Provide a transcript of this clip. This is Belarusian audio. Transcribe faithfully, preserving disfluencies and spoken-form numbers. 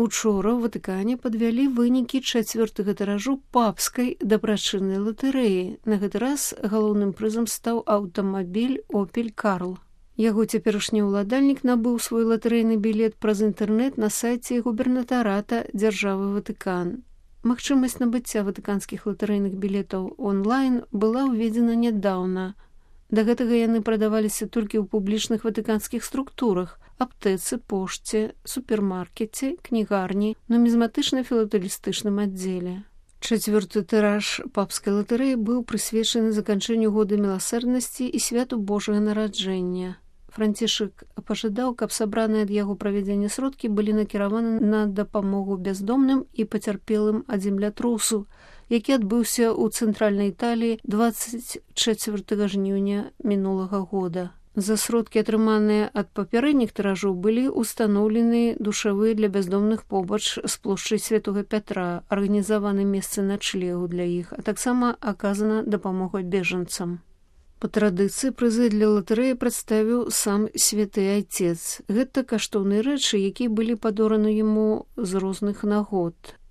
Учора ў Ватыкане падвялі вынікі чацвёртага тыражу папскай дабрачыннай латарэі. На гэты раз галоўным прызам стаў аўтамабіль «Опель Карл». Яго цяперашні ўладальнік набыў свой латарэйны білет праз інтэрнэт на сайце губернатарата дзяржавы Ватыкан. Магчымасць набыцця ватыканскіх латарэйных білетаў онлайн была ўведзена нядаўна. Да гэтага яны прадаваліся толькі ў публічных ватыканскіх структурах: аптэцы, пошце, супермаркеце, кнігарні, нумізматычна-філатэлістычным аддзеле. Чацвёрты тыраж папскай латарэі быў прысвечаны заканчэнню года міласэрнасці і святу Божага нараджэння. Францішак пажадаў, каб сабраныя ад яго правядзення сродкі былі накіраваны на дапамогу бяздомным і пацярпелым ад землятрусу, які адбыўся ў цэнтральнай Італіі дваццаць чацвёртага жніўня мінулага года. За сродкі, атрыманыя ад папярэдніх тыражоў, былі ўстаноўлены душавыя для бяздомных побач з плошчай Святога Пятра, арганізаваны месцы начлегу для іх, а таксама аказана дапамога бежанцам. Па традыцыі прызы для латарэі прадставіў сам святы айцец. Гэта каштоўныя рэчы, якія былі падораны яму з розных нагод.